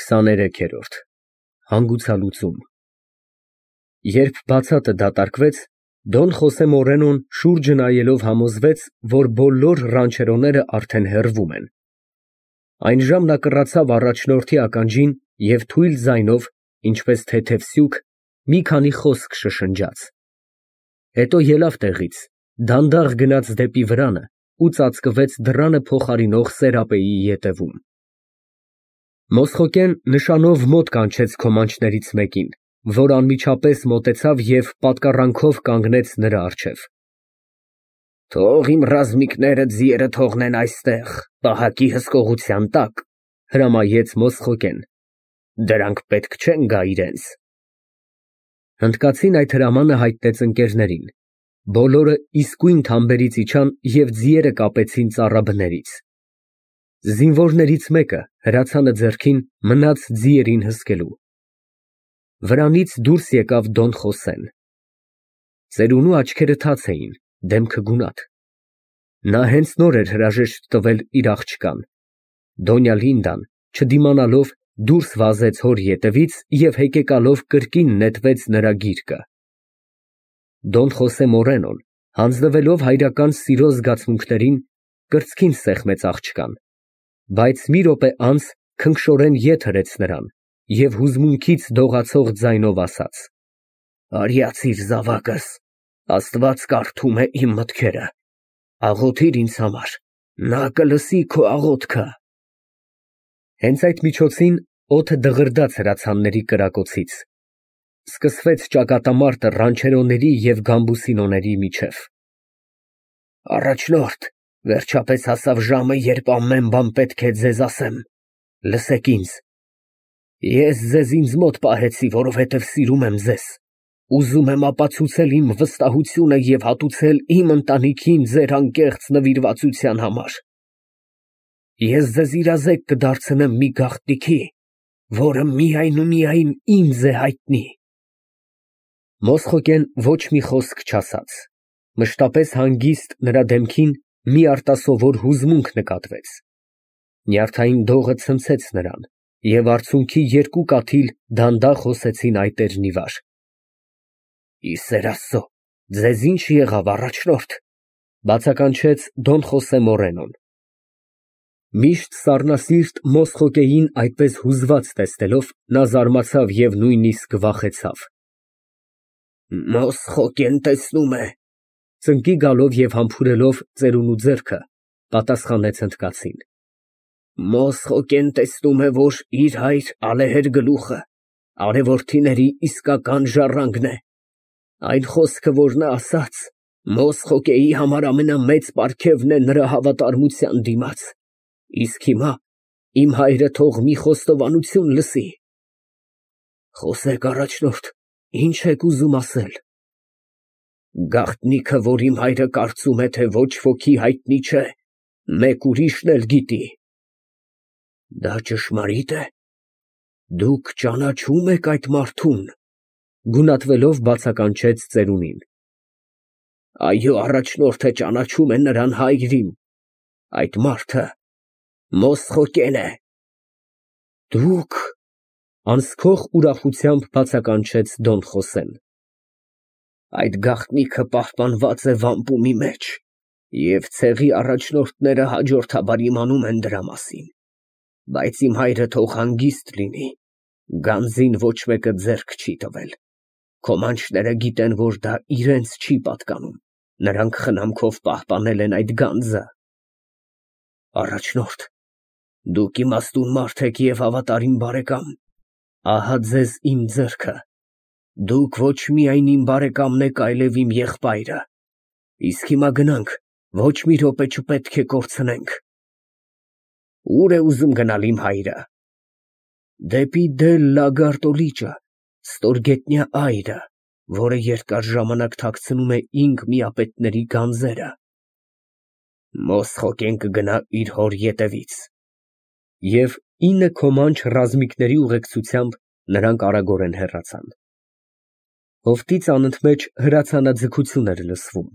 23-րդ Հանգուցալուծում Երբ բացատը դատարկվեց, Դոն Խոսե Մորենոն շուրջը նայելով համոզվեց, որ բոլոր ռանչերոները արդեն հեռվում են։ Այն ժամ նա կռացավ առաջնորդի ականջին և թույլ ձայնով, ինչպես թեթև սյուք, մի քանի խոսք շշնջաց։ Հետո ելավ տեղից, դանդաղ գնաց դեպի վրանը ու ծածկվեց դռանը փոխարինող սերապեի ետևում։ Մոսխոկեն նշանով մոտ կանչեց քոմանչներից մեկին, որ անմիջապես մոտեցավ և պատկառանքով կանգնեց նրա առջև։ Թող իմ ռազմիկները ձիերը թողնեն այստեղ, պահակի հսկողության տակ, հրամայեց Մոսխոկեն։ Դրանք պետք չեն գա իրենց։ Հնդկացին այդ հրամանը հայտնեց ընկերներին։ Բոլորը իսկույն թամբերից իջան և ձիերը կապեցին ծառաբներից։ Զինվորներից մեկը, հրացանը ձեռքին, մնաց ձիերին հսկելու։ Վրանից դուրս եկավ Դոն Խոսեն։ Ծերունու աչքերը թաց էին, դեմքը գունատ։ Նա հենց նոր էր հրաժեշտ տվել իր աղջկան։ Դոնյա Լինդան, չդիմանալով, դուրս վազեց հոր ետևից և հեկեկալով կրկին նետվեց նրա գիրկը։ Դոն Խոսե Մորենոն, հանձնվելով հայրական սիրո զգացմունքներին, կրծքին սեղմեց աղջկան, բայց մի րոպե անց քնքշորեն ետ հրեց նրան և հուզմունքից դողացող ձայնով ասաց. Արյացիր զավակս, Աստված կարդում է իմ մտքերը, աղոթիր ինձ համար, նա կլսի քո աղոթքը։ Հենց այդ միջոցին օդը դղրդաց հրացանների կրակոցից։ Սկսվեց ճակատամարտը ռանչերոների և գամբուսինոների միջև։ Առաջնորդ, վերջապես հասավ ժամը, երբ ամեն բան պետք է ձեզ ասեմ, լսեք ինձ։ Ես ձեզ ինձ մոտ պահեցի, որովհետև սիրում եմ ձեզ, ուզում եմ ապացուցել իմ վստահությունը և հատուցել իմ ընտանիքին ձեր անկեղծ նվիրվածության համար։ Ես ձեզ իրազեկ կդարձնեմ մի գաղտնիքի, որը միայն ու միայն ինձ է հայտնի։ Մոսխոկեն ոչ մի խոսք չասաց, մշտապես հանգիստ նրա դեմքին մի արտասովոր հուզմունք նկատվեց։ Նյարդային դողը ցնցեց նրան, և արցունքի երկու կաթիլ դանդաղ հոսեցին այտերն ի վար։ Ի սեր Աստծո, ձեզ ի՞նչ եղավ, առաջնորդ, բացականչեց Դոն Խոսե Մորենոն։ Միշտ սառնասիրտ Մոսխոկեին այդպես հուզված տեսնելով, նա զարմացավ և նույնիսկ վախեցավ։ Մոսխոկեն տեսնում է, ծնկի գալով և համբուրելով ծերունու ձեռքը, պատասխանեց հնդկացին։ Մոսխոկեն տեսնում է, որ իր հայր ալեհեր գլուխը արևորդիների իսկական ժառանգն է։ Այն խոսքը, որ նա ասաց, Մոսխոկեի համար ամենամեծ պարգևն է նրա հավատարմության դիմաց, իսկ հիմա իմ հայրը թող մի խոստովանություն լսի։ Խոսեք, առաջնորդ, ինչ եք ուզում ասել։ Գաղտնիքը, որ իմ հայրը կարծում է, թե ոչ ոքի հայտնի չէ, մեկ ուրիշն էլ գիտի։ Դա ճշմարի՞տ է։ Դուք ճանաչում եք այդ մարդուն, գունատվելով բացականչեց ծերունին։ Այո, առաջնորդը ճանաչում է նրան հայրին, այդ մարդը Մոսխոկեն է։ Դուք… անսքող ուրախությամբ բացականչեց Դոն Խոսեն։ Այդ գաղտնիքը պահպանված է վամպումի մեջ, և ցեղի առաջնորդները հաջորդաբար իմանում են դրա մասին, բայց իմ հայրը թող հանգիստ լինի, գանձին ոչ մեկը ձեռք չի տվել, քոմանչները գիտեն, որ դա իրենց չի պատկանում, նրանք խնամքով պահպանել են այդ գանձը։ Առաջնորդ, դուք իմաստուն մարդ եք և հավատարիմ բարեկամ, ահա ձեզ իմ ձեռքը, դուք ոչ միայն իմ բարեկամն եք, այլև իմ եղբայրը, իսկ հիմա գնանք, ոչ մի րոպե չպետք է կորցնենք։ Ո՞ւր է ուզում գնալ իմ հայրը։ Դեպի Դել֊Լագարդո լիճը, ստորգետնյա այրը, որը երկար ժամանակ թաքցնում է ինք միապետների գանձերը։ Մոսխոկեն կգնա իր հոր ետևից։ Եվ 9 քոմանչ ռազմիկների ուղեկցությամբ նրանք արագորեն հեռացան։ Հովտից անընդմեջ հրացանաձգություն էր լսվում։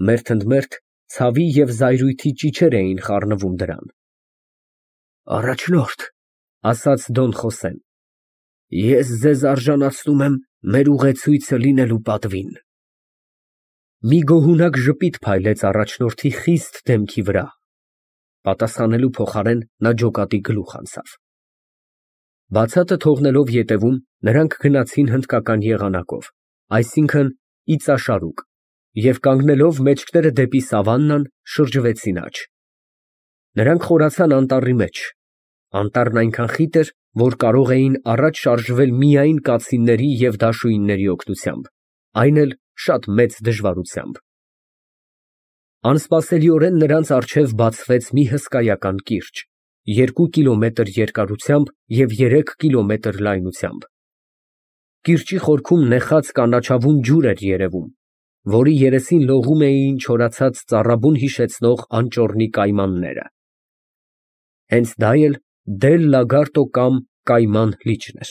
Մերթ ընդ մերթ ցավի և զայրույթի ճիչեր էին խառնվում դրան։ Առաջնորդ, ասաց Դոն Խոսեն։ Ես ձեզ արժանացնում եմ մեր ուղեցույցը լինելու պատվին։ Մի գոհունակ ժպիտ փայլեց առաջնորդի խիստ դեմքի վրա, պատասխանելու փոխարեն նա ջոկատի գլուխ անցավ։ Բացատը թողնելով ետևում, նրանք գնացին հնդկական եղանակով, այսինքն՝ իծաշարուկ, և կանգնելով մեջքները դեպի սավաննան, շրջվեցին աջ։ Նրանք խորացան անտառի մեջ։ Անտառն այնքան խիտ էր, որ կարող էին առաջ շարժվել միայն կացինների և դաշույնների օգնությամբ, այն էլ շատ մեծ դժվարությամբ։ Անսպասելիորեն նրանց առջև բացվեց մի հսկայական կիրճ, 2 կիլոմետր երկարությամբ և 3 կիլոմետր լայնությամբ։ Կիրճի խորքում նեխած կանաչավուն ջուր էր երևում, որի երեսին լողում էին չորացած ծառաբուն հիշեցնող անճոռնի կայմանները։ Հենց դա էլ Դել Լագարտո կամ Կայման լիճն էր։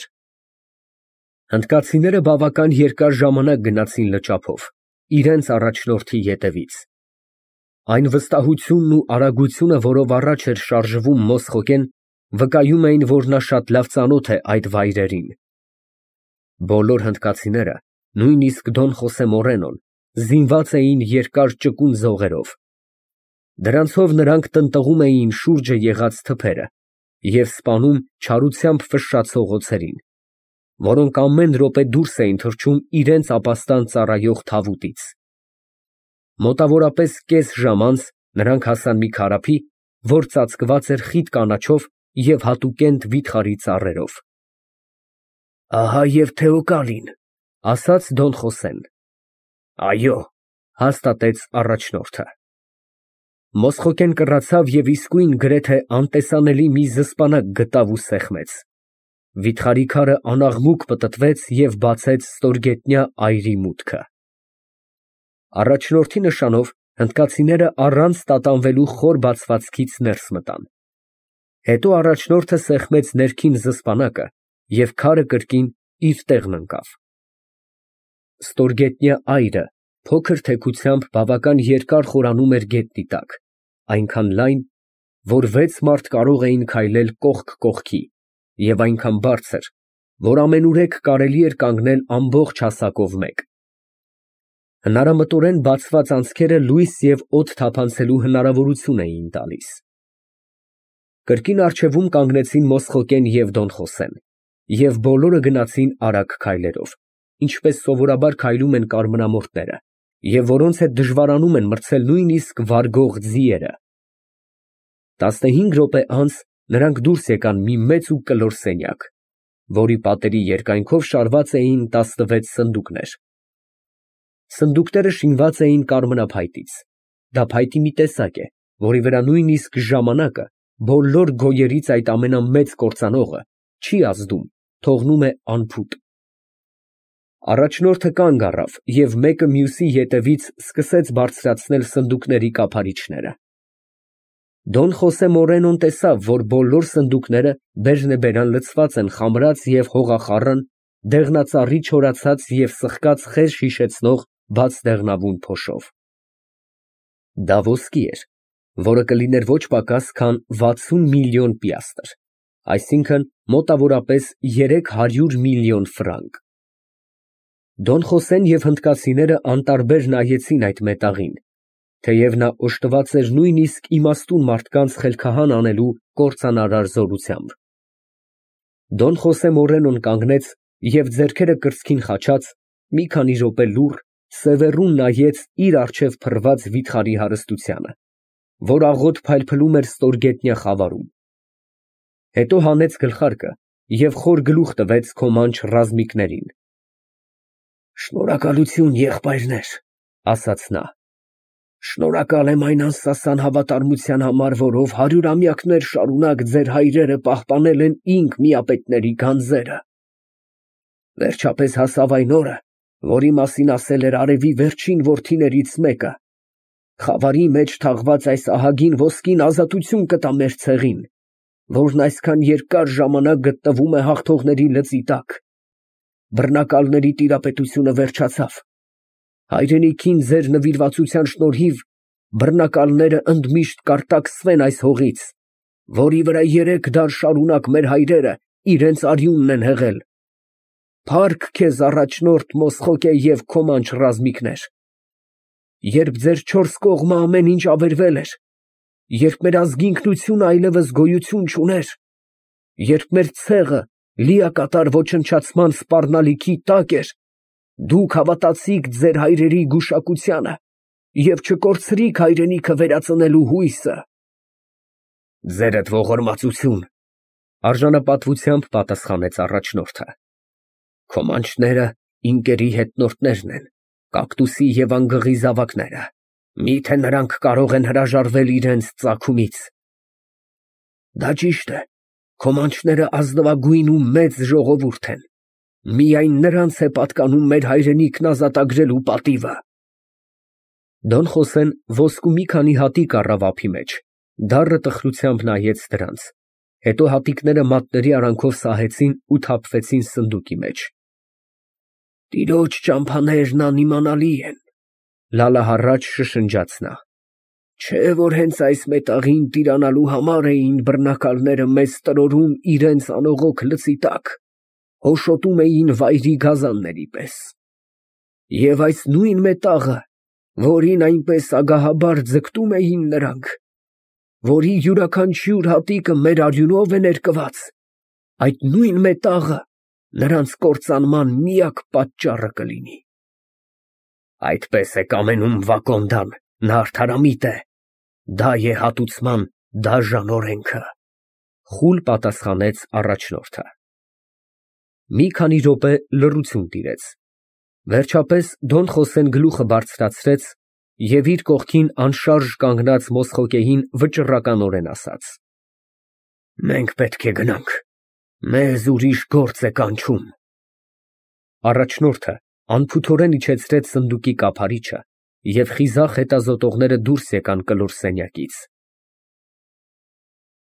Հնդկացիները բավական երկար ժամանակ գնացին լճափով, իրենց առաջնորդի ետևից։ Այն վստահությունն ու արագությունը, որով առաջ էր շարժվում Մոսխոգեն, վկայում էին, որ նա շատ լավ ծանոթ է այդ վայրերին։ Բոլոր հնդկացիները, նույնիսկ Դոն Խոսե Մորենոն, զինված էին երկար ճկուն ձողերով։ Դրանցով նրանք տնտղում էին շուրջը եղած թփերը և սպանում չարությամբ ֆշշացող օձերին, որոնք ամեն րոպե դուրս էին թռչում իրենց ապաստան ծառայող թավուտից։ Մոտավորապես կես ժամ անց նրանք հասան մի քարափի, որ ծածկված էր խիտ կանաչով և հատուկենտ վիթխարի ծառերով։ Ահա և Թեոկալին, ասաց Դոն Խոսեն։ Այո, հաստատեց առաջնորդը։ Մոսխոգեն կռացավ և իսկույն գրեթե անտեսանելի մի զսպանակ գտավ ու սեղմեց։ Վիթխարի քարը անաղմուկ պտտվեց և բացեց ստորգետնյա այրի մուտքը։ Առաջնորդի նշանով հնդկացիները առանց տատանվելու խոր բացվածքից ներս մտան։ Հետո առաջնորդը սեղմեց ներքին զսպանակը և քարը կրկին իր տեղն ընկավ։ Ստորգետնյա այրը փոքր թեքությամբ բավական երկար խորանում էր գետնի տակ, այնքան լայն, որ 6 մարդ կարող էին քայլել կողք կողքի, և այնքան բարձր, որ ամենուրեք կարելի էր կանգնել ամբողջ հասակով մեկ։ Հնարամտորեն բացված անցքերը լույս և օդ թափանցելու հնարավորություն էին տալիս։ Կրկին առջևում կանգնեցին Մոսխոգեն և Դոն Խոսեն, և բոլորը գնացին արագ քայլերով, ինչպես սովորաբար քայլում են կարմրամորթները, և որոնց հետ դժվարանում են մրցել նույնիսկ վարգող ձիերը։ 15 րոպե անց նրանք դուրս եկան մի մեծ ու կլոր սենյակ, որի պատերի երկայնքով շարված էին 16 սնդուկներ։ Սնդուկները շինված էին կարմրափայտից։ Դա փայտի մի տեսակ է, որի վրա նույնիսկ ժամանակը, բոլոր գոյերից այդ ամենամեծ կործանողը, չի ազդում, թողնում է անփուտ։ Առաջնորդը կանգ առավ և մեկը մյուսի ետևից սկսեց բարձրացնել սնդուկների կափարիչները։ Դոն Խոսե Մորենոն տեսավ, որ բոլոր սնդուկները բերնեբերան լցված են խամրած և հողախառն, դեղնածառի չորացած և սխկած խեժ հիշեցնող բաց դեղնավուն փոշով։ Դա ոսկի էր, որը կլիներ ոչ պակաս, քան 60 միլիոն պիաստր, այսինքն՝ մոտավորապես 300 միլիոն ֆրանկ։ Դոն Խոսեն և հնդկացիները անտարբեր նայեցին այդ մետաղին, թեև նա օժտված էր նույնիսկ իմաստուն մարդկանց խելքահան անելու կործանարար զորությամբ։ Դոն Խոսե Մորենոն կանգնեց և ձեռքերը կրծքին խաչած, մի քանի րոպե լուռ, սևեռուն նայեց իր առջև փռված վիթխարի հարստությանը, որ աղոտ փայլփլում էր ստորգետնյա խավարում։ Հետո հանեց գլխարկը և խոր գլուխ տվեց քոմանչ ռազմիկներին։ Շնորհակալություն, եղբայրներ, ասաց նա։ Շնորհակալ եմ այն անսասան հավատարմության համար, որով հարյուրամյակներ շարունակ ձեր հայրերը պահպանել են ինք միապետների գանձերը։ Վերջապես հասավ այն օրը, որի մասին ասել էր արևի վերջին որդիներից մեկը. խավարի մեջ թաղված այս ահագին ոսկին ազատություն կտա մեր ցեղին, որն այսքան երկար ժամանակ գտնվում է հաղթողների լծի տակ։ Բռնակալների տիրապետությունը վերջացավ։ Հայրենիքին ձեր նվիրվածության շնորհիվ բռնակալները ընդմիշտ կարտաքսվեն այս հողից, որի վրա 3 դար շարունակ մեր հայրերը իրենց արյունն են հեղել։ Փառք քեզ, առաջնորդ Մոսխոկե և Քոմանչ ռազմիկներ։ Երբ ձեր 4 կողմը ամեն ինչ ավերվել էր, երբ մեր ազգի ինքնությունը այլևս գոյություն չուներ, երբ մեր ցեղը լիակատար ոչնչացման սպառնալիքի տակ էր, դուք հավատացիք ձեր հայրերի գուշակությանը և չկորցրիք հայրենիքը վերածնելու հույսը։ Ձերդ ողորմածություն, արժանապատվությամբ պատասխանեց առաջնորդը։ Քոմանչները ինկերի հետնորդներն են, կակտուսի և անգղի զավակները, միթե նրանք կարող են հրաժարվել իրենց ծագումից։ Դա ճիշտ է, քոմանչները ազնվագույն ու մեծ ժողովուրդ են, միայն նրանց է պատկանում մեր հայրենիքն ազատագրելու պատիվը։ Դոն Խոսեն ոսկու մի քանի հատիկ առավ ափի մեջ, դառը տխրությամբ նայեց դրանց, հետո հատիկները մատների արանքով սահեցին ու թափվեցին սնդուկի մեջ։ Տիրոջ ճամփաներն անիմանալի են, լալահառաջ շշնջաց նա։ Չէ՞ որ հենց այս մետաղին տիրանալու համար էին բռնակալները մեզ տրորում իրենց անողոք լծի տակ, հոշոտում էին վայրի գազանների պես։ Եվ այս նույն մետաղը, որին այնպես ագահաբար ձգտում էին նրանք, որի յուրաքանչյուր հատիկը մեր արյունով է ներկված, այդ նույն մետաղը նրանց կործանման միակ պատճառը կլինի։ Այդպես է կամենում Վակոնդան, նա արդարամիտ է, դա է հատուցման դաժան օրենքը, խուլ պատասխանեց առաջնորդը։ Մի քանի րոպե լռություն տիրեց, վերջապես Դոն Խոսեն գլուխը բարձրացրեց և իր կողքին անշարժ կանգնած Մոսխոկեին վճռականորեն ասաց. Մենք պետք է գնանք, մեզ ուրիշ գործ է կանչում։ Առաջնորդը անփութորեն իջեցրեց սնդուկի կափարիչը և խիզախ հետազոտողները դուրս եկան կլոր սենյակից։